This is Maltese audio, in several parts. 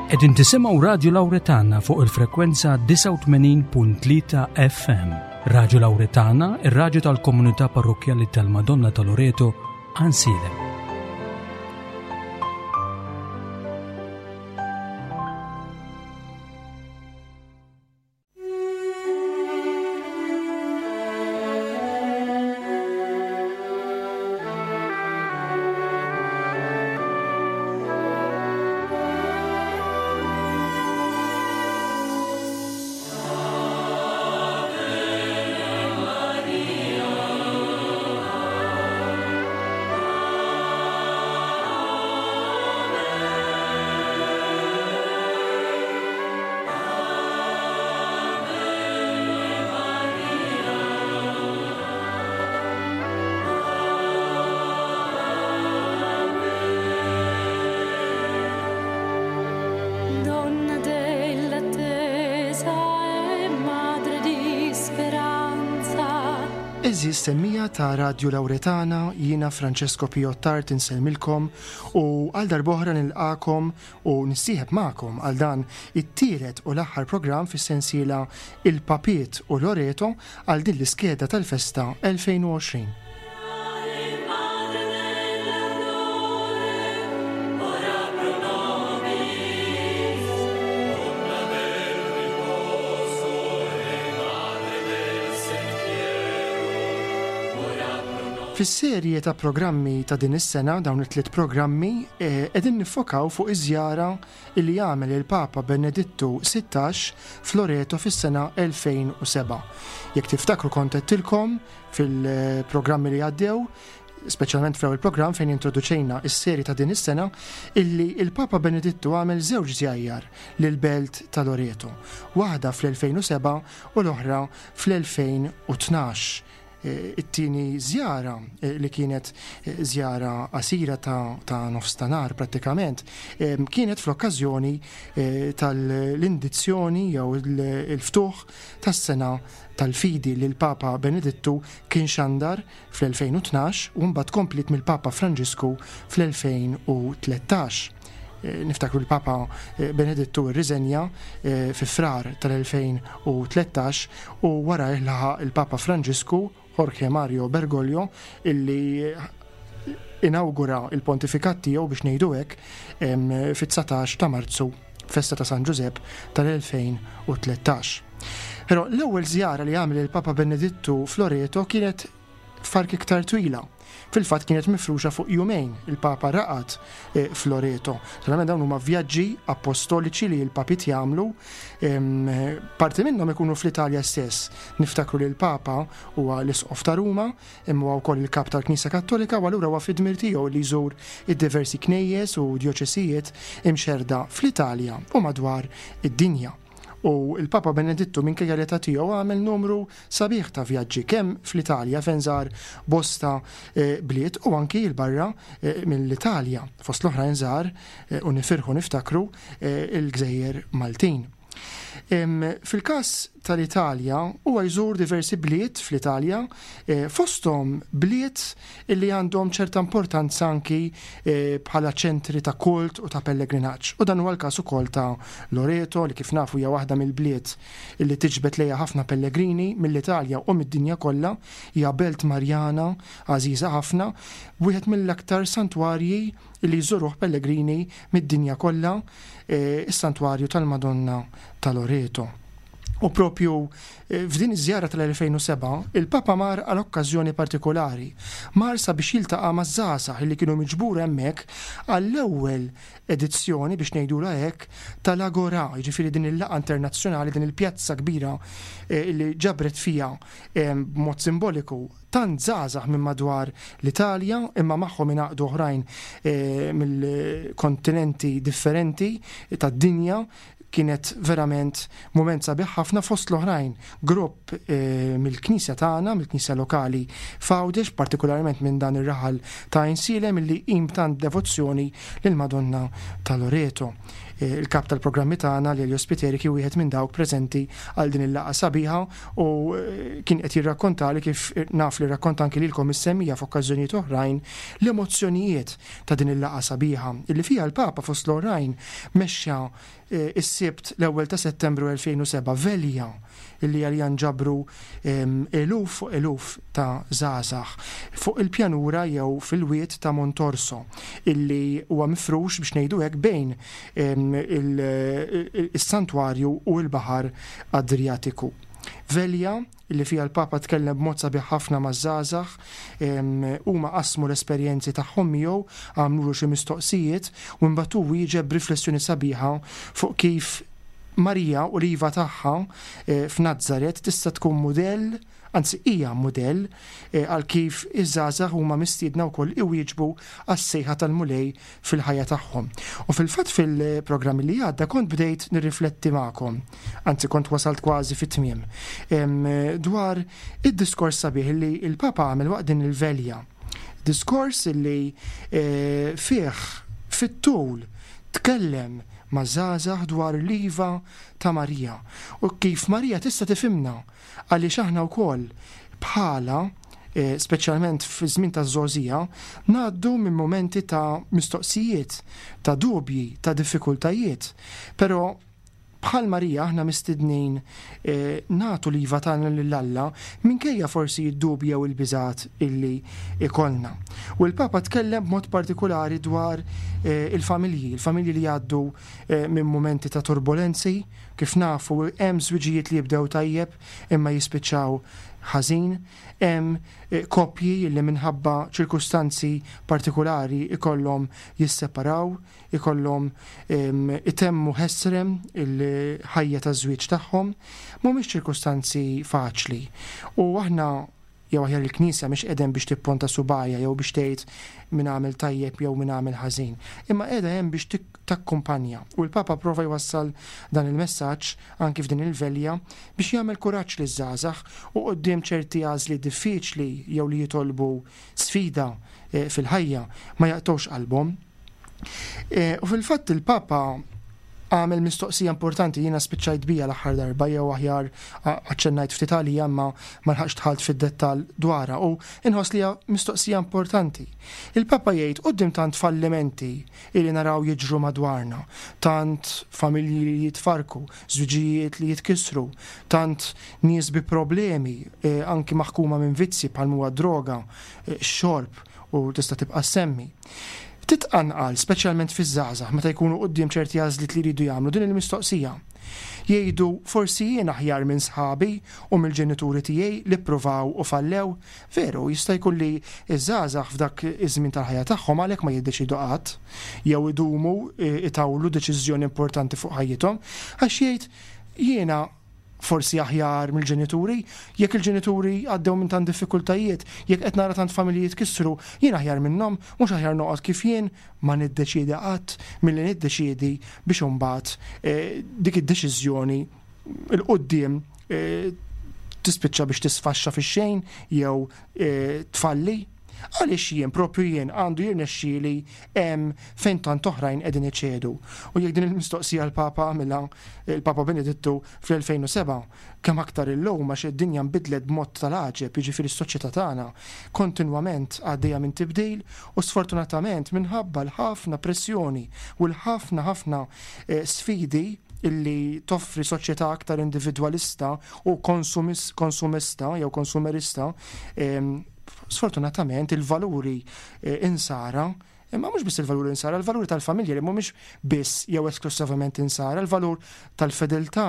Qegħdin tisimgħu Radju Lawretana fuq il-frekwenza 89.3 FM. Radju Lawretana, ir-radju tal-komunità parrokkjali tal-Madonna ta' Loreto, Ansilem. Donna dell'attesa e madre di speranza. Għeżież semmija ta' Radju Lawretana, jiena Francesco Pio Tart insellmilkom u għal darb'oħra nilqagħkom u nissieħeb magħkom għal dan it-tielet u l-aħħar programm fis-sensiela Il-Papiet u Loreto għal din l-iskeda tal-festa 2020. Fis-serje ta' programmi ta' din is-sena, dawn it-tliet programmi, qegħdin niffokaw fuq iż-żjara li għamel il-Papa Benedittu 16 f'Loreto fis-sena 2007. Jekk tiftakru kont għedtilkom fil-programmi li għaddew, speċjalment fl-ewwel programm fejn introduċejna s-serje ta' din is-sena, illi il-Papa Benedittu għamel żewġ żjajjar lill-belt ta' Loreto, waħda fl-2007 u l-oħra fl-2012. It-tieni żjara, li kienet żjara qasira ta' nofs ta' nhar prattikament, kienet fl-okkażjoni tal-indizzjoni jew il-ftuħ tas-sena tal-fidi li l-Papa Benedittu kien xandar fl-2012 u mbagħad kompliet mill-Papa Franġisku fl-2013. Niftakru l-Papa Benedittu rriżenja fi Frar tal-2013 u warajh laħaq il-Papa Franġisku, Jorge Mario Bergoglio, illi inawgura l-pontifikat tiegħu biex ngħidu hekk fit-19 ta' Marzu, festa ta' San Ġużepp tal-2013. Però l-ewwel żjara li għamel il-Papa Benedittu f'Loreto kienet fark iktar twila. Fil-fatt kienet mifruxa fuq jumejn, il-Papa raqad f'Loreto. Naturalment dawn huma vjaġġi appostoliċi li l-papiet jagħmlu, parti minnhom ikunu fl-Italja stess. Niftakru li l-Papa huwa l-Isqof ta' Ruma, imma huwa wkoll il-Kap tal-Knisja Kattolika u allura huwa fid-dmir tiegħu li jżur id-diversi knejjes u djoċesijiet imxerrda fl-Italja u madwar id-dinja. U l-Papa Benedittu minkejja l-età tiegħu għamel numru sabiħ ta' vjaġġi kemm fl-Italja fejn żar bosta bliet u anki 'l barra mill-Italja. Fost l-oħrajn żar, u nifirħu niftakru, il-gżejjer Maltin. Fil-każ tal-Italja huwa jżur diversi bliet fl-Italja, fosthom bliet illi għandhom ċerta importanza anki bħala ċentri ta' kult u ta' pellegrinaġġ. U dan huwa l-każ ukoll ta' Loreto li kif nafu hija waħda mill-bliet illi tiġbed lejha ħafna pellegrini mill-Italja u mid-dinja kollha. Hija belt Marjana għażiża ħafna, wieħed mill-aktar santwarji li jżuruh pellegrini mid-dinja kollha, is-Santwarju tal-Madonna ta' Loreto. U propju f'din iż-żjara tal-2007, il-Papa mar għal okkażjoni partikolari. Mar sabiex jiltaqa' maż-żgħażagħ li kienu miġbura hemmhekk għall-ewwel edizzjoni, biex ngħidulha hekk, tal-Agora, jiġifieri din il-laqgħa internazzjonali, din il-pjazza kbira li ġabret fiha b'mod simboliku tant żgħażagħ minn madwar l-Italja, imma magħhom ingħaqdu oħrajn mill-kontinenti differenti tad-dinja. Kienet verament mument sabiħ ħafna fost l-oħrajn grupp mill-knisja tagħna, mill-knisja lokali f'Għawdex, partikolarment minn dan ir-raħal ta' Għajnsielem illi jqim b'tant devozzjoni lill-Madonna ta' Loreto. Il-kap tal-programmi tagħna Lelio Spiteri kien wieħed minn dawk preżenti għal din il-laqgħa sabiħa u kien qed jirrakkontali kif naf li rrakkonta anki lilkom is-semmija f'okkażjonijiet oħrajn l-emozzjonijiet ta' din il-laqgħa sabiħa illi fiha l-Papa fost l-oħrajn mexxa is-Sibt l-ewwel ta' Settembru 2007 velja illi għaliha nġabru eluf fuq eluf ta' żgħażagħ fuq il-pjanura jew fil-wied ta' Montorso illi huwa mifrux biex ngħidu hekk bejn is-santwarju u l-baħar Adrijatiku. Velja li fiha l-Papa tkellem b'mod sabiħ ħafna maż-żgħażagħ, huma qasmu l-esperjenzi tagħhom miegħu, għamlulu xi mistoqsijiet u imbagħad hu wieġeb b'riflessjoni sabiħa fuq kif Marija u l-iva tagħha f'Nazaret tista' tkun mudell, anzi hija mudell, għal kif iż-żgħażagħ huma mistiedna wkoll iwieġbu għas-sejħa tal-Mulej fil-ħajja tagħhom. U fil-fatt fil-programm li għadda kont bdejt nirrifletti magħkom, anzi kont wasalt kważi fit-tmiem, dwar id-diskors sabiħ li l-Papa għamel waqt din il-velja. Diskors li eh, fih fit-tul tkellem ma' żgħażagħ dwar l-iva ta' Marija u kif Marija tista' tifhimna Għaliex aħna wkoll bħalha, speċjalment fiż-żmien taż-żgħożija, ngħaddu minn mumenti ta' mistoqsijiet, ta' dubji, ta' diffikultajiet. Però bħal Marija aħna mistednin nagħtu l-iva tagħna lil Alla minkejja forsi d-dubji jew il-biżgħat illi ikollna. U l-Papa tkellem b'mod partikulari dwar il-familji, il-familji li jgħaddu minn mumenti ta' turbulenzi, Kif nafu, hemm żwiġijiet li jibdew tajjeb imma jispiċċaw ħażin, hemm koppji li minħabba ċirkustanzi partikulari jkollhom jisseparaw, ikollhom itemmu ħesrem il-ħajja taż-żwieġ tagħhom. Mhumiex ċirkustanzi faċli. U aħna jew aħjar il-Knisja mhix qiegħda hemm biex tipponta subgħajha jew biex tgħid min għamel tajjeb jew min għamel ħażin, imma qiegħda hemm biex takkumpanja. U l-Papa pprova jwassal dan il-messaġġ anki f'din il-velja biex jagħmel kuraġġ liż-żgħażagħ u quddiem ċerti għażliet diffiċli jew li jitolbu sfida fil-ħajja ma jaqtgħux qalbhom. U fil-fatt il-Papa għamel mistoqsija importanti jiena spiċċajt bija l-aħħar darba jew aħjar aċċennajt ftit għalija imma ma lħaqx dħalt fid-dettall dwarha u inħoss li hija mistoqsija importanti. Il-Papa jgħid quddiem tant fallimenti li naraw jiġru madwarna, tant familji li jitfarrku, żwiġijiet li jitkissru, tant nies bi problemi anki maħkuma minn vizzji bħal m'huwa d-droga, x-xorb u tista' tibqa' ssemmi. Titqanqal, speċjalment fiż-żgħażagħ, meta jkunu quddiem ċerti għażliet li jridu jagħmlu, din il-mistoqsija. Jgħidu, 'Forsi jien aħjar minn sħabi u mill-ġenituri tiegħi li ppruvaw u fallew? Veru, jista' jkun li ż-żgħażagħ f'dak iż-żmien tal-ħajja tagħhom għalhekk ma jiddeċiedu qatt, jew idumu itawlu deċiżjoni importanti fuq ħajjithom, għax jgħid, 'Jiena forsi aħjar mill-ġenituri, jekk il-ġenituri għaddew minn tant diffikultajiet, jekk qed nara tant familji jitkissru, jien aħjar minnhom, mhux aħjar noqgħod kif jien, ma niddeċiedi qatt milli niddeċiedi biex imbagħad dik id-deċiżjoni 'l quddiem tispiċċa biex tisfaxxa fix-xejn jew tfalli. Għaliex jien, proprju jien, għandu jirnexxieli hemm fejn tant oħrajn qegħdin iċedu? U jekk din il-mistoqsija l-Papa għamilha, il-Papa Benedittu, fl-2007, kemm aktar illum għax id-dinja nbidlet b'mod tal-għaġeb, jiġifieri s-soċjetà tagħna kontinwament għaddejja minn tibdil u sfortunatament minħabba l-ħafna pressjoni u l-ħafna ħafna sfidi illi toffri soċjetà aktar individwalista u konsumista jew konsumerista, Sfortunatament il-valuri insara, imma mhux biss il-valuri insara, il-valuri tal-familja li mhumiex biss jew esklusivament insara, il-valur tal-fedeltà,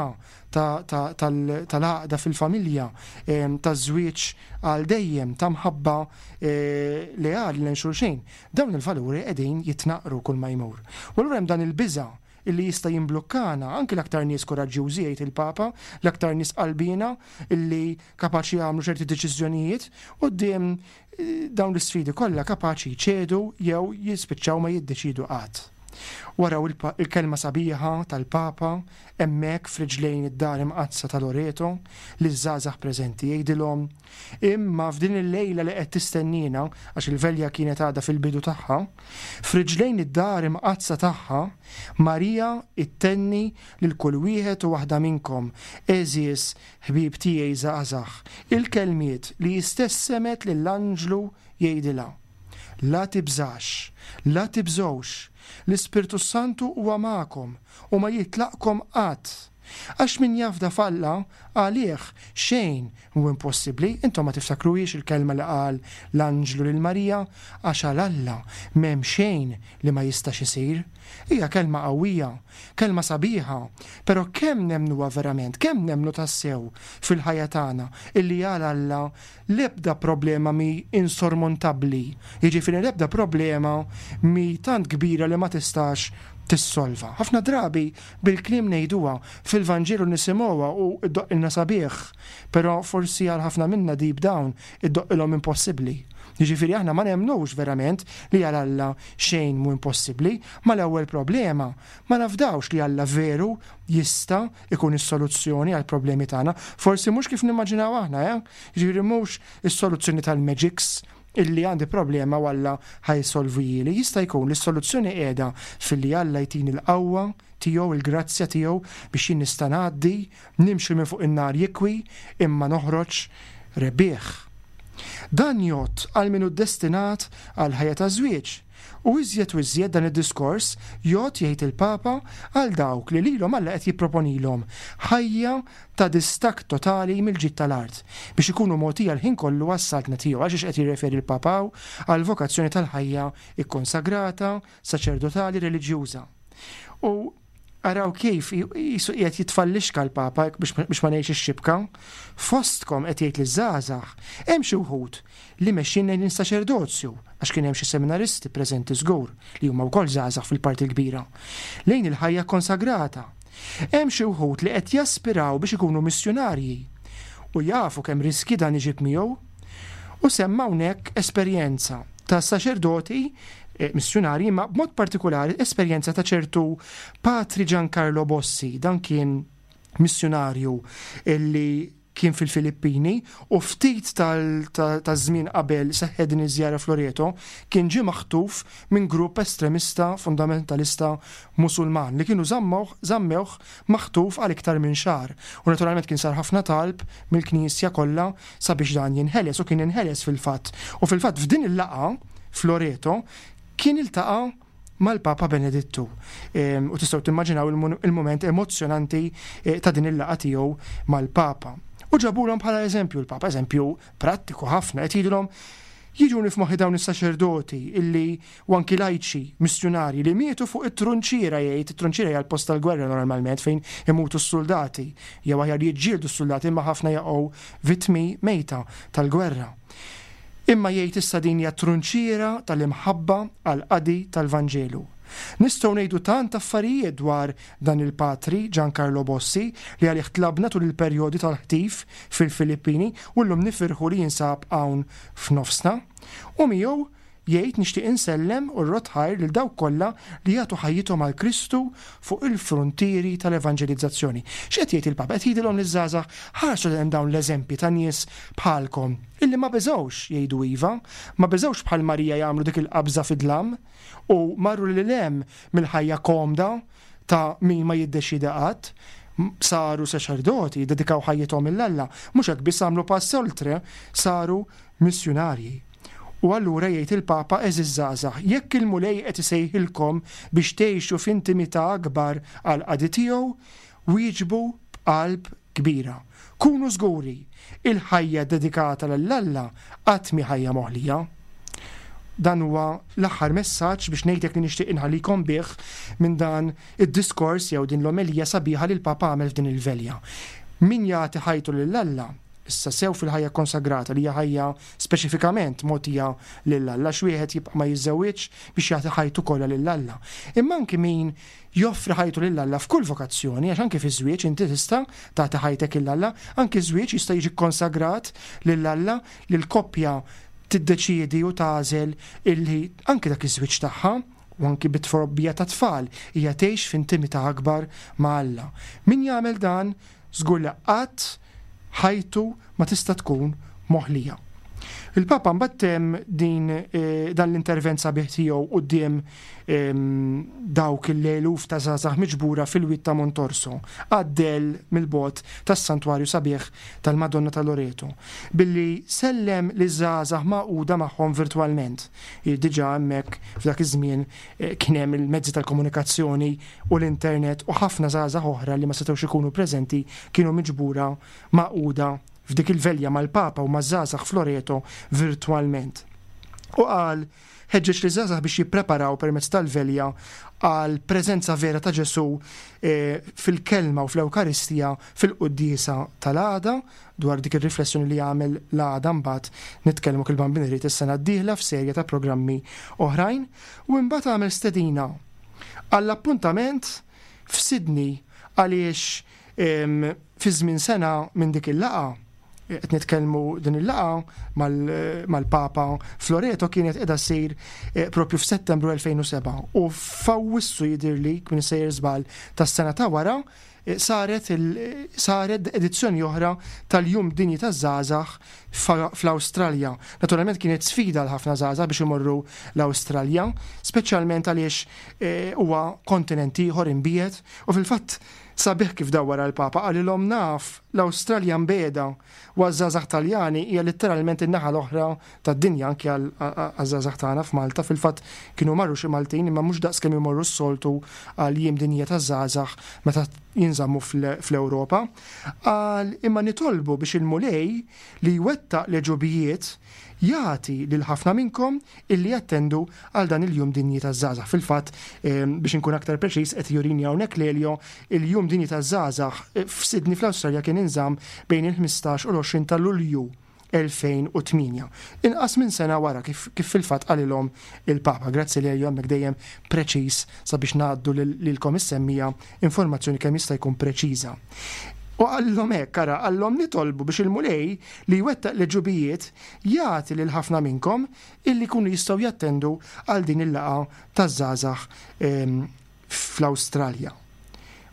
tal-għaqda fil-familja, taż-żwieġ għal dejjem, ta' mħabba leali lejn xulxin. Dawn il-valuri qegħdin jitnaqqru kull ma jmur. U allura hemm dan il-biża' illi jista' jimblukkana, anki l-aktar nies kuraġġjużi jgħid il-Papa, l-aktar nies qalbiena illi kapaċi jagħmlu ċerti deċiżjonijiet, quddiem dawn l-isfidi kollha kapaċi jċedu jew jispiċċaw ma jiddeċiedu qatt. Waraw il-kelma sabiħa tal-Papa hemmhekk f'riġlejn id-Dar Imqaddsa ta' Loreto liż-żgħażagħ preżenti jgħidilhom, Imma f'din il-lejla li qed tistenniena, għax il-velja kienet għadha fil-bidu tagħha, f'riġlejn id-Dar Imqaddsa tagħha, Marija ttenni lil kull wieħed u waħda minnkom, għeżież ħbieb tiegħi żgħażagħ, il-kelmiet li hi stess semgħet lill-anġlu jgħidilha. La tibżax, la tibżgħux, l-Ispirtu s-Santu huwa magħkom u ma jitlaqkom qatt. Għax min jafda f'Alla, għalih xejn mhu impossibbli. Intom ma tiftakruhiex il-kelma li qal l-anġlu lil Marija? Għax għal Alla m'hemm xejn li ma jistax isir. Hija kelma qawwija, kelma sabiħa, però kemm nemmnuha verament, kemm nemmnu tassew fil-ħajja tagħna illi għal Alla L-ebda problema mhi insormontabbli, jiġifieri l-ebda problema mhi tant kbira li ma tistax tissolva. Ħafna drabi bil-kliem ngħiduha, fil-Vanġelu nisimgħuha u ddoqqilna sabiħ, però forsi għal ħafna minna deep down iddoqqilhom impossibbli. Jiġifieri aħna ma nemmnux verament li għal Alla xejn mhu impossibbli. Mal-ewwel problema ma nafdawx li Alla veru jista' ikun is-soluzzjoni għall-problemi tagħna. Forsi mhux kif nimmaġinaw aħna, eh? Jiġifieri mhux is-soluzzjoni tal-magics illi għandi problema u Alla ħa jsolvihieli. Jista' jkun li s-soluzzjoni qiegħda filli Alla jtini l-qawwa tiegħu, il-grazzja tiegħu biex jien nista' ngħaddi, nimxi minn fuq in-nar jikwi imma noħroġ rebbieħ. Dan jgħodd għal min hu ddestinat għall-ħajja taż-żwieġ. U iżjed u iżjed dan id-diskors jgħodd, jgħid il-Papa, għal dawk li lilhom Alla qed jipproponilhom ħajja ta' distakk totali mill-ġid tal-art, biex ikunu mogħtija l-ħin kollu għas-Saltna tiegħu. Għal xiex qed jirreferi l-Papa hawn? Għall-vokazzjoni tal-ħajja kkonsagrata, saċerdotali, reliġjuża. U araw kif qisu qiegħed jitfallixka l-Papa biex ma ngħidx ix-xibka. Fostkom qed jgħid liż-żgħażagħ, hemm xi wħud li mexjin lejn is-saċerdozju, għax kien hemm xi seminaristi preżenti żgur li huma wkoll żgħażagħ fil-parti l-kbira, lejn il-ħajja kkonsagrata. Hemm xi wħud li qed jaspiraw biex ikunu missjunarji u jafu kemm riskji dan iġib miegħu. U semma hawnhekk esperjenza ta' saċerdoti eh, missjunarji imma b'mod partikolari esperjenza ta' ċertu Patri Giancarlo Bossi, dan kien missjunarju illi kien fil-Filippini u ftit taż-żmien qabel seħħet din iż-żjara f'Loreto kien ġie maħtuf minn grupp estremista fundamentalista Musulman li kienu żammewh maħtuf għal iktar minn xahar u naturalment kien sar ħafna talb mill-Knisja kollha sabiex dan jinħeles u kien inħeles fil-fatt. U fil-fatt f'din il-laqgħa f'Loreto kien iltaqa' mal-Papa Benedittu. U tistgħu timmaġinaw il-mument emozzjonanti eh, ta' din il-laqgħa tiegħu mal-Papa. U ġabulhom bħala eżempju l-Papa, eżempju prattiku ħafna, qed jgħidulhom jiġuni f'moħħi dawn is-saċerdoti illi u anki lajċi missjunarji li mietu fuq it-trunċiera jgħid, it-trunċiera hija l-post tal-gwerra normalment fejn imutu s-soldati, jew aħjar jiġġieldu s-soldati imma ħafna jaqgħu vittmi mejta tal-gwerra. Imma jgħid issa din hija trunċiera tal-imħabba għall-qadi tal-Vanġelu. Nistgħu ngħidu tant affarijiet dwar dan il-Patri Giancarlo Bossi li għalih tlabna tul il-perjodi tal-ħtif fil-Filippini u llum nifirħu li jinsab hawn f'nofsna. U miegħu Jgħid, Nixtieq insellem u rrodd ħajr lil dawk kollha li jagħtu ħajjithom għal Kristu fuq il-fruntieri tal-evanġelizzazzjoni. X'qed jgħid il-Papa? Qed jgħidilhom liż-żgħażagħ, ħarsu lejn dawn l-eżempji ta' nies bħalkom illi ma beżgħux jgħidu iva, ma beżgħux bħal Marija jagħmlu dik il-qabża fid-dlam u marru lil hemm mill-ħajja komda ta' min ma jiddeċiedi qatt, saru saċerdoti, ddedikaw ħajjithom lil Alla. Mhux hekk biss għamlu pass oltre, saru missjunarji. U allura jgħid il-Papa, għeżież żgħażagħ, jekk il-Mulej qed isejħilkom biex tgħixu f'intimità akbar għall-qadi tiegħu, wieġbu b'qalb kbira. Kunu żguri, il-ħajja ddedikata lil Alla qatt mhi ħajja moħlija. Dan huwa l-aħħar messaġġ biex ngħidlek li nixtieq inħallikom bih minn dan id-diskors jew din l-omelija sabiħa li l-Papa għamel f'din il-velja. Min jagħti ħajtu lil Alla, Issa sew fil-ħajja kkonsagrata li hija ħajja speċifikament mogħtija lil Alla għax wieħed jibqa' ma jiżżewwiġx biex jagħti ħajtu kollha lil Alla. Imma anki min joffri ħajtu lil Alla f'kull vokazzjoni, għax anki fiż-żwieġ inti tista' tagħti ħajtek lil Alla, anki ż-żwieġ jista' jiġi kkonsagrat lil Alla li l-koppja tiddeċiedi u tagħżel illi anki dak iż-żwieġ tagħha. u anki bit-trobbija tat-tfal hija tgħix f'intimità akbar ma' Alla. Min jagħmel dan żgur li qatt ħajtu ma tista' tkun moħlija. Il-Papa mbagħad temm din dan l-intervent sabiħ tiegħu quddiem dawk l-eluf ta' żgħażagħ miġbura fil-wied ta' Montorso, għad-dell mill-bogħod tas-santwarju sabiħ tal-Madonna ta' Loreto, billi sellem liż-żgħażagħ magħquda magħhom virtwalment. Diġà hemmhekk f'dak iż-żmien kien hemm il-mezzi tal-komunikazzjoni u l-internet u ħafna żgħażagħ oħra li ma setgħux ikunu preżenti kienu miġbura magħquda f'dik il-velja mal-Papa u maż-żgħażagħ f'Loreto virtwalment. U qal, ħeġġeġ liż-żgħażagħ biex jippreparaw permezz tal-velja għal preżenza vera ta' Ġesù fil-Kelma u fl-Ewkaristija fil-quddiesa tal-għada, dwar dik ir-riflessjoni li għamel l-għada mbagħad nitkellmu kif il-Bambin irid is-sena d-dieħla f'serje ta' programmi oħrajn, u imbagħad għamel stedina għall-appuntament f'Sydney għaliex fi żmien sena minn dik il-laqgħa, qed nitkellmu din il-laqgħa mal-Papa f'Loreto kienet qiegħda ssir propju f'Settembru 2007 u f'Awwissu jidhirli, kien sejjer żball, tas-sena ta' wara saret saret edizzjoni oħra tal-Jum Dinji taż-Żgħażagħ fl-Awstralja. Naturalment kienet sfida għal ħafna żgħażagħ biex imorru l-Awstralja, speċjalment għaliex huwa kontinent ieħor imbiegħed u fil-fatt sabiħ kif dawwar għall-Papa qalilhom naf l-Awstralja mbiegħda u għaż-żgħażagħ Taljani hija litteralment in-naħa l-oħra tad-dinja anki għaż-żgħażagħ tagħna f'Malta fil-fatt kienu marru xi Maltin imma mhux daqs kemm imorru s-soltu għall-Jiem Dinjija taż-Żgħażagħ meta jinżammu fl-Ewropa. Qal imma nitolbu biex il-Mulej li jwettaq l-għeġubijiet jagħti lil ħafna minnkom illi jattendu għal dan il-Jum Dinji taż-Żgħażagħ. Fil-fatt, biex inkun aktar preċiż, qed jurini hawnhekk Lelio, il-Jum Dinji taż-Żgħażagħ f'Sydney fl-Awstralja kien inżamm bejn il-15 u l-20 ta' Lulju 2008. Inqas minn sena wara kif kif fil-fatt qalilhom il-Papa. Grazzi Lelio hemmhekk dejjem preċiż sabiex ngħaddu lilkom is-semmiegħa informazzjoni kemm jista' jkun preċiża. U qalilhom hekk, ara, qalilhom nitolbu biex il-Mulej li jwettaq l-għeġubijiet jagħti lil ħafna minnkom illi jkunu jistgħu jattendu għal din il-laqgħa taż-żgħażagħ ehm, fl-Awstralja.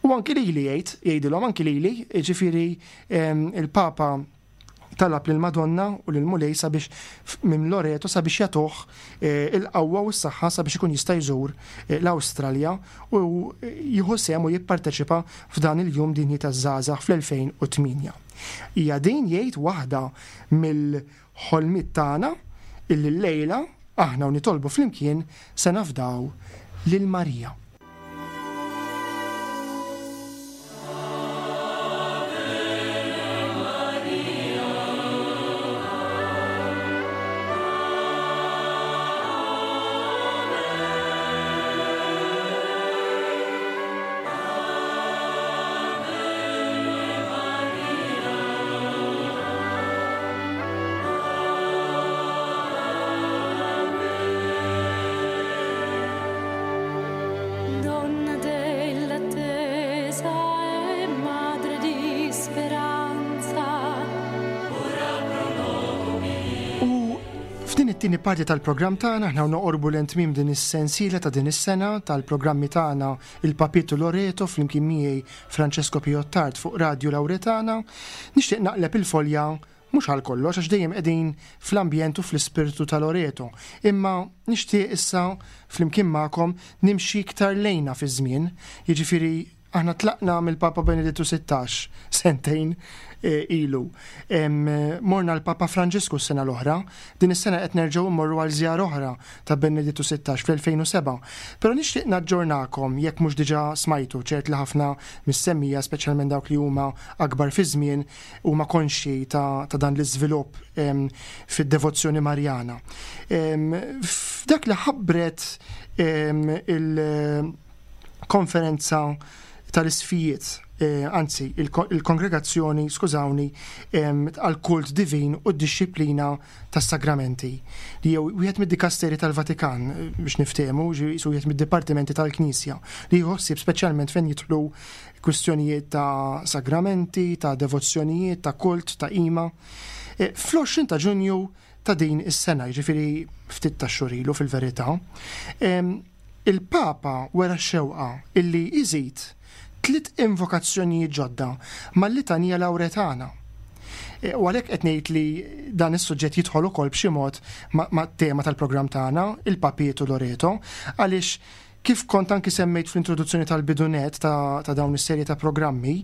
U anki lili jgħid, jgħidilhom anki lili, jiġifieri ehm, il-Papa talab lill-Madonna u lill-Mulej sabiex minn Loreto sabiex jagħtuh eh, il-qawwa u s-saħħa sabiex ikun jista' jżur eh, l-Awstralja u jieħu sehem u jipparteċipa f'dan il-Jum Dinji taż-Żgħażagħ fl-2008. Hija din jgħid waħda mill-ħolmiet tagħna illi llejla aħna u nitolbu flimkien se nafdaw lil Marija. Donna dell'attesa e madre di speranza. U f'din it-tieni parti tal-programm tagħna aħna noqorbu lejn tmiem din is-sensiela ta' din is-sena tal-programmi tagħna il-Papiet u Loreto flimkien miegħi Francesco Pio Attard fuq Radju Lauretana. Nixtieq naqleb il-folja mhux għal kollox għax dejjem qegħdin fl-ambjent u fl-ispirtu ta' Loreto, imma nixtieq issa flimkien magħkom nimxi iktar lejna fiż-żmien, jiġifieri aħna tlaqna mill-Papa Benedittu 16 sentejn eh, ilu. Morna l-Papa Franġisku s-sena l-oħra, din is-sena qed nerġgħu mmorru għal żjara oħra ta' Benedittu 16 fl-2007. Però nixtieq naġġornakom jekk mhux diġà smajtu, ċert li ħafna mis-semmija, speċjalment dawk li huma akbar fiż-żmien, huma konxji ta', ta dan l-iżvilupp fid-devozzjoni Marjana. F'dak li ħabbret il-konferenza tal-isfijiet, eh, anzi il-kongregazzjoni, skużawni, għal-kult divin u d-dixxiplina tas-sagramenti, li jew wieħed mid-dikasteri tal-Vatikan eh, biex niftehmu, jisu wieħed mid-dipartimenti tal-Knisja, li jħossib speċjalment fejn jidħlu kwistjonijiet ta' sagramenti, ta' devozzjonijiet, ta' kult, ta' qima. Eh, fl-20 ta' Ġunju ta' din is-sena, jiġifieri ftit ta' xhur ilu fil-verità, Il-Papa wera x-xewqa illi jżid tliet invokazzjonijiet ġodda mal-Litanija Lawretana. E, u għalhekk qed ngħid li dan is-suġġett jidħol ukoll b'xi mod mat-tema tal-programm tagħna, il-Papiet u Loreto, għaliex kif kont anki semmejt fl-introduzzjoni tal-bidunet ta', ta dawn is-serje ta' programmi,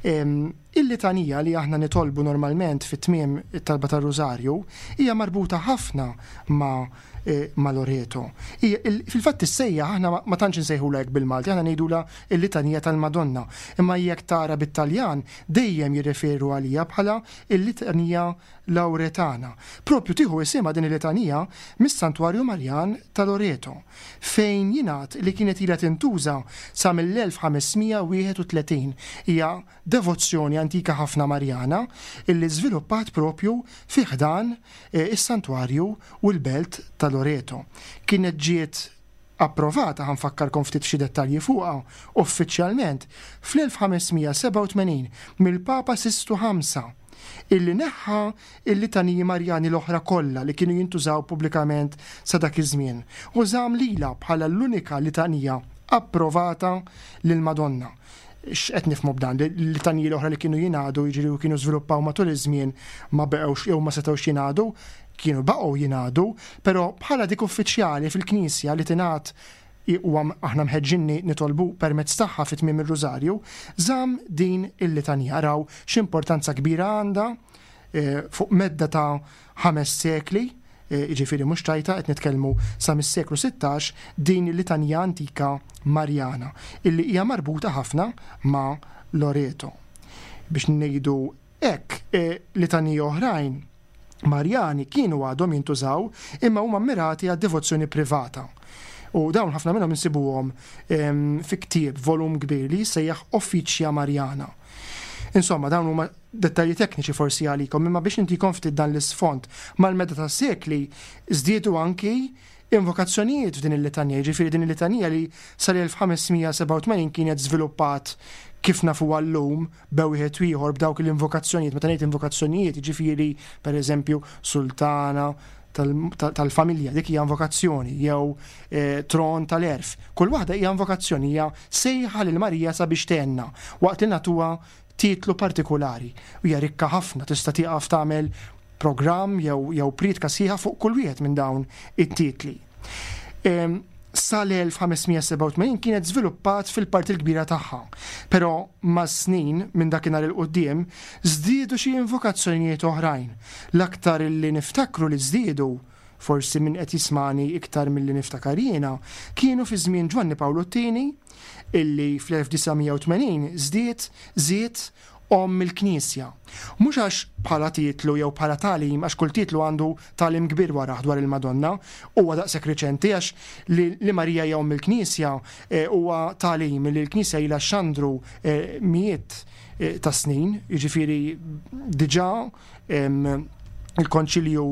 il-litanija li aħna nitolbu normalment fit-tmiem it-talba tar-Rużarju hija marbuta ħafna ma' ma' Loreto. Fil-fatt tissejjaħ, aħna ma tantx insejħulha hekk bil-Malti, aħna ngħidulha l-Litanija tal-Madonna. Imma jekk tara bit-Taljan dejjem jirreferu għaliha bħala l-Litanija Lauretana. Propju tieħu isimha din il-litanija mis-Santwarju Marjan ta' Loreto, fejn jingħad li kienet ilha tintuża sa mill-1531. Hija devozzjoni antika ħafna Marjana illi żviluppat propju fi ħdan is-santwarju u l-belt ta' Loreto. Kienet ġiet approvata, ħa nfakkarkom ftit f'xi dettalji fuqha, uffiċjalment fl-1587 mill-Papa Sistu Ħamsa, illi neħħa l-litaniji Marjani l-oħra kollha li kienu jintużaw pubblikament sa dak iż-żmien u żamm lilha bħala l-unika litanija approvata lill-Madonna. X'qed nifhmu b'dan? Li l-litaniji l-oħra li kienu jingħadu, jiġifieri u kienu żviluppaw matul iż-żmien ma beqgħux jew ma setgħux jingħadu, kienu baqgħu jingħadu, però bħala dik uffiċjali fil-Knisja li tingħad u aħna mħeġġin nitolbu permezz tagħha fi tmiem ir-Rużarju, żamm din il-litanija. Araw x'importanza kbira għandha eh, fuq medda ta' ħames sekli, jiġifieri mhux ċajta qed nitkellmu sa mis-seklu 16 din il-litanija antika Marjana illi hija marbuta ħafna ma' Loreto. Biex ngħidu hekk, litaniji oħrajn Marjani kienu għadhom jintużaw imma huma mmirati għad-devozzjoni privata. U dawn ħafna minnhom insibuhom fi ktieb volum kbir li jissejjaħ Officia Mariana. Insomma, dawn huma dettalji tekniċi forsi għalikom, imma biex intikom ftit dan l-isfond, mal-medda tas-sekli żdiedu anki invokazzjonijiet f'din il-litanija, jiġifieri din il-litanija li sal-1587 kienet żviluppat kif nafuha llum be wieħed u ieħor b'dawk l-invokazzjonijiet, meta ngħid invokazzjonijiet, jiġifieri pereżempju sultana tal-familja, dik hija invokazzjoni, jew eh, tron tal-erf. Kull waħda hija invokazzjoni, hija sejħa lil Marija sabiex tgħinna waqt li nagħtuha titlu partikulari. U hija rikka ħafna, tista' tieqaf tagħmel programm jew jew prietka sħiħa fuq kull wieħed minn dawn it-titli. Ehm, sal-1587 kienet żviluppat fil-parti l-kbira tagħha, però mas-snin minn dakinhar il quddiem żdiedu xi invokazzjonijiet oħrajn. L-aktar li niftakru li żdiedu forsi min qed jismagħni iktar milli niftakar jiena, kienu fi żmien Ġwanni Pawlu t-Tieni, illi fl-1980 żdied, żied, Omm il-Knisja. Mhux għax bħala titlu jew bħala tagħlim, għax kull titlu għandu tagħlim kbir warah dwar il-Madonna, huwa daqshekk riċenti għax li li Marija hija Omm il-Knisja huwa tagħlim li l-Knisja ilha xxandru mijiet ta' snin, jiġifieri diġà il-Konċilju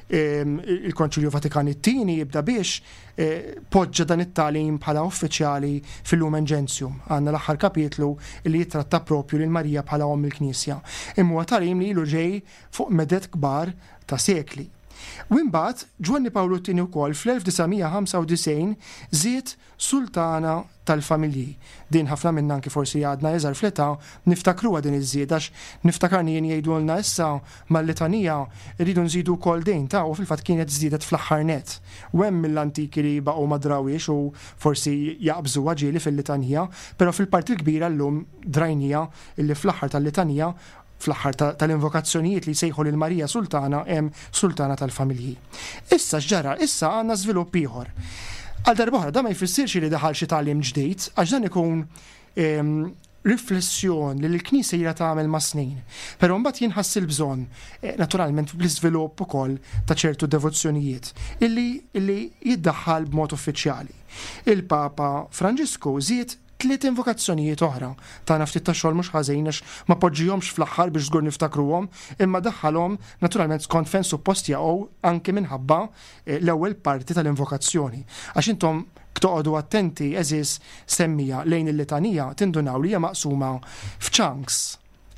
il-Konċilju Vatikan it-Tieni jibda biex eh, poġġa dan it-tagħlim bħala uffiċjali fil-Lumen Gentium. Għandna l-aħħar kapitlu li jitratta propju lil Marija bħala omm il-Knisja. Imma huwa tagħlim li ilu ġej fuq medet kbar ta' sekli. U imbagħad Ġwanni Pawlu t-Tieni wkoll fl-1995 żied Sultana tal-familji. Din ħafna minna anki forsi għadna iżgħar fl-età niftakruha din iż-żieda għax niftakarni jien jgħidulna issa mal-litanija rridu nżidu wkoll din ta' u fil-fatt kienet żdiedet fl-aħħar nett. U hemm mill-antiki li baqgħu ma drawhiex u forsi jaqbżuha ġieli fil-litanija, però fil-parti l-kbira llum drajniha illi fl-aħħar tal-litanija Fl-aħħar tal-invokazzjonijiet li jsejħu lil Marija Sultana hemm Sultana tal-Familji. Issa x'ġara? Issa għandna żvilupp ieħor. Għal darb'oħra dan ma jfissirx li daħal xi tagħlim ġdid, għax dan ikun ehm, riflessjon li l-Knisja ilha tagħmel mas-snin. Però mbagħad jinħass il-bżonn, eh, naturalment bl-iżvilupp ukoll ta' ċertu devozzjonijiet, illi, illi jiddaħħal b'mod uffiċjali. Il-Papa Franġisku żied Tliet invokazzjonijiet oħra. Tana ftit ta' xogħol mhux ħażin għax ma poġġihomx fl-aħħar biex żgur niftakruhom, imma daħħalhom naturalment skont fejn suppost jaqgħu anki minħabba l-ewwel parti tal-invokazzjoni. Għax intom toqogħdu attenti għeżież semmiegħa lejn il-litanija tindunaw li hija maqsuma f'chunks.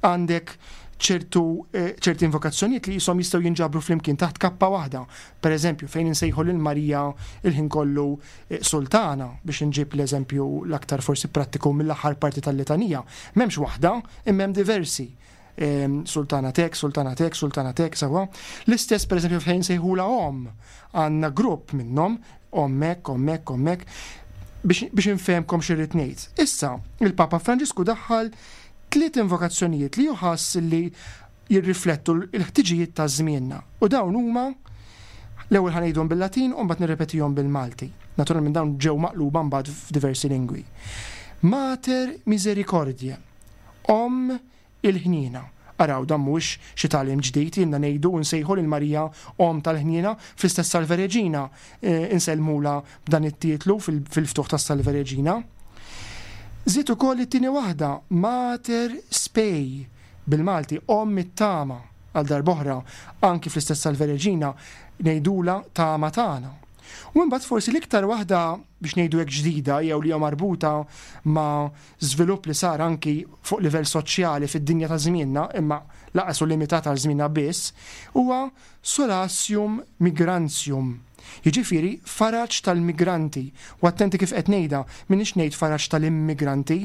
Għandek ċertu eh, ċerti invokazzjonijiet li jisom jistgħu jinġabru flimkien taħt kappa waħda. Per eżempju, fejn insejħu lil Marija il-ħin kollu eh, sultana biex inġib l-eżempju l-aktar forsi prattiku mill-aħħar parti tal-litanija. M'hemmx waħda, imma hemm diversi. Ehm, sultana tek, sultana tek, sultana tek, sawa. L-istess per eżempju fejn sejħula om, għandna grupp minnhom, ommek, ommek, ommek, biex infehmkom xirrid ngħid. Issa, il-Papa Franġisku daħħal tliet invokazzjonijiet li juħass li jirriflettu l-ħtiġijiet ta' żmienna. U dawn huma l-ewwel ħanejdhom bil-Latin u mbagħad nirrepetihom bil-Malti. Naturalment dawn ġew maqluba mbagħad f'diversi lingwi. Mater Misericordiae, Omm il-ħniena. Araw, dan mhuwiex xi tagħlim ġdid, ilna ngħidu u nsejħu lil Marija Omm tal-Ħniena fl-istess Salve Regina, insellmulha b'dan it-titlu fil-ftuħ tas-Salve Regina. Żied ukoll it-tieni waħda, Mater Spei, bil-Malti, Omm it-Tama, għal darb'oħra, anki fl-istess Salve Regina ngħidulha Tama tagħna. U imbagħad forsi l-iktar waħda biex ngħidu hekk ġdida jew li hija marbuta ma' żvilupp li sar anki fuq livell soċjali fid-dinja ta' żmienna, imma lanqas hu limitat għal żmienna biss, huwa solatium migrantium, jiġifieri faraġ tal-migranti. U attenti kif qed ngħidha, m'iniex ngħid faraġ tal-immigranti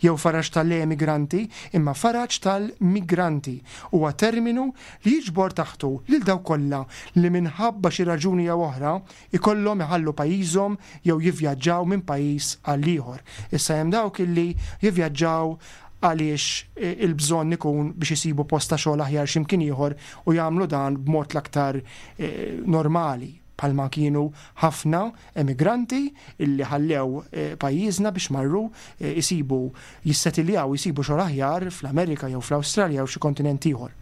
jew faraġ tal-emigranti, imma faraġ tal-migranti. Huwa terminu li jiġbor taħtu lil dawk kollha li minħabba xi raġuni jew oħra ikollhom iħallu pajjiżhom jew jivvjaġġaw minn pajjiż għal ieħor. Issa hemm dawk illi jivvjaġġaw għaliex il-bżonn ikun biex isibu post ta' xogħol aħjar xi mkien ieħor u jagħmlu dan b'mod l-aktar normali bħalma kienu ħafna emigranti illi ħallew pajjiżna biex marru jsibu jissetiljaw jsibu xogħol aħjar fl-Amerika jew fl-Awstralja jew xi kontinent ieħor.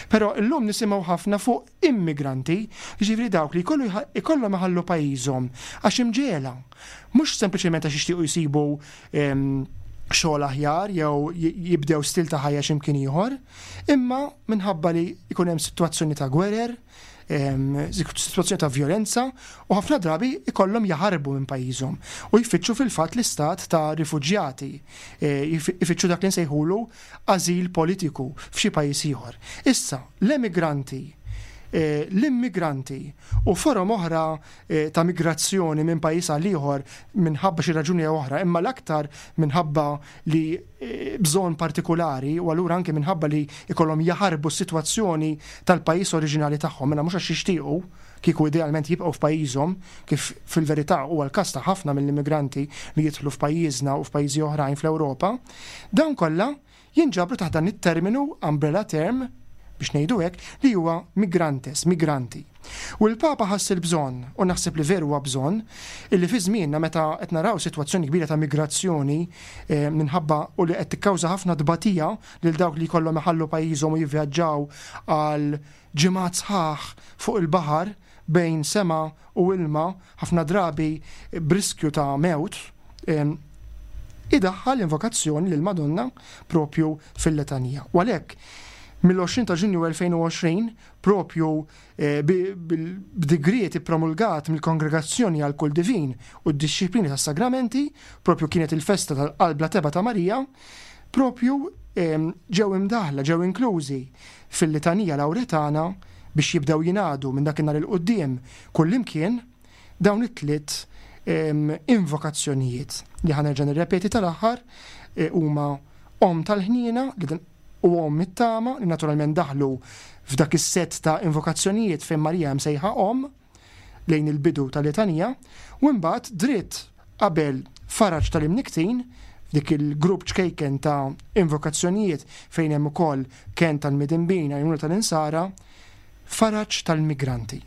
Però illum nisimgħu ħafna fuq immigranti, jiġifieri dawk li jkollu ikollhom iħallu pajjiżhom għax imġegħla, mhux sempliċement għax jixtiequ jsibu xogħol aħjar jew jibdew stil ta' ħajja xi mkien ieħor, imma minħabba li jkun hemm sitwazzjoni ta' gwerer, sitwazzjoni ta' vjolenza u ħafna drabi ikollhom jaħarbu minn pajjiżhom u jfittxu fil-fatt l-istat ta' rifuġjati, ifittxu dak li nsejħulu ażil politiku f'xi pajjiż ieħor. Issa, l-emigranti, l-immigranti u forom oħra ta' migrazzjoni minn pajjiż għal ieħor minħabba xi raġuni jew oħra, imma l-aktar minħabba li bżonn partikulari u allura anke minħabba li jkollhom jaħarbu s-sitwazzjoni tal-pajjiż oriġinali tagħhom, mela mhux għax jixtiequ, kieku idealment jibqgħu f'pajjiżhom, kif fil-verità huwa l-każ ta' ħafna mill-immigranti li jidħlu f'pajjiżna u f'pajjiżi oħrajn fl-Ewropa, dawn kollha jinġabru taħt dan it-terminu, umbrella term, biex ngħidu hekk, li huwa migrantes, migranti. U l-Papa ħass il-bżonn, u naħseb li veru huwa bżonn, illi fi żmienna meta qed naraw sitwazzjoni kbira ta' migrazzjoni eh, minħabba u li qed tikkawża ħafna tbatija lil dawk li jkollhom iħallu pajjiżhom u jivvjaġġaw għal ġimgħat sħaħ fuq il-baħar bejn sema u ilma, ħafna drabi b'riskju ta' mewt, idaħħal l-invokazzjoni lill-Madonna propju fil-letanija. U għalhekk, mill-20 ta' Ġunju 2020, propju eh, b'digriet ippromulgat mill-Kongregazzjoni għal Kull Divin u d-Dixxiplini tas-Sagramenti, propju kienet il-festa tal-Qalb la Teba ta' Marija, propju ġew imdaħla, ġew inklużi fil-Litanija Lawretana biex jibdew jingħadu minn dakinhar 'il quddiem kullimkien dawn it-tliet invokazzjonijiet li ħa nerġa' nirrepeti tal-aħħar eh, huma Omm tal-Ħniena u Omm it-Tama li naturalment daħlu f'dak is-sett ta' invokazzjonijiet fejn Marija hemm sejħa Omm lejn il-bidu tal-litanija, u imbagħad dritt qabel faraġ tal-imnikktin, f'dik il-grupp ċkejken ta' invokazzjonijiet fejn hemm ukoll kenn tal-midinbin, għajnuna tal-insara, faraġ tal-migranti.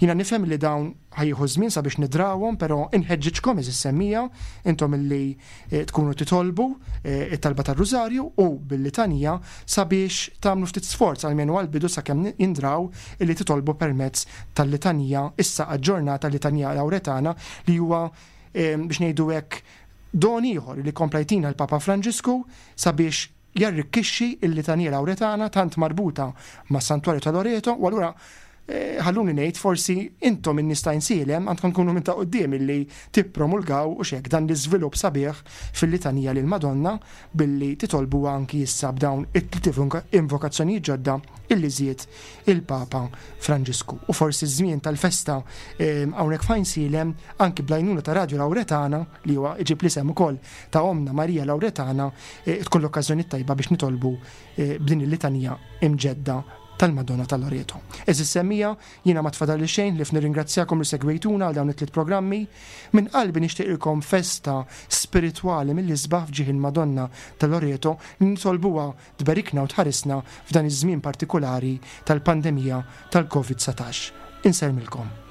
Jiena nifhem li dawn ħa jieħu żmien sabiex nidrawhom, però inħeġġiġkom għeżież semmiegħa, intom illi tkunu titolbu it-talba tar-Rużarju u bil-litanija sabiex tagħmlu ftit sforz almenu għall-bidu sakemm jindraw illi titolbu permezz tal-litanija issa aġġornata Litanija Lawretana li huwa biex ngħidu hekk don ieħor li kompla jtina l-Papa Franġisku sabiex jarrikkixxi l-Litanija Lawretana tant marbuta mas-Santwarju ta' Loreto u allura. Ħalluni ngħid forsi intom in-nies ta' Għajnsielem għandkom tkunu minn ta' quddiem illi tippromulgaw u x'hekk dan l-iżvilupp sabiħ fil-litanija lill-Madonna billi titolbuha anki issa b'dawn it-tliet invokazzjonijiet ġodda illi żied il-Papa Franġisku. U forsi ż-żmien tal-festa hawnhekk f'Għajnsielem anki bl-għajnuna ta' Radju Lawretana li huwa iġib l-isem ukoll ta' Ommna Marija Lawretana tkun l-okkażjoni t-tajba biex nitolbu b'din il-litanija imġedda tal-Madonna ta' Loreto. Għeżież semmiegħa, jiena ma tfadalli xejn ħlief nirringrazzjakom li segwejtuna għal dawn it-tliet programmi. Minn qalbi nixtieqilkom festa spiritwali mill-isbaħ f'ġieħ il-Madonna ta' Loreto li nitolbuha tberikna u tħarisna f'dan iż-żmien partikulari tal-pandemija tal-Covid 19. Insellmilkom.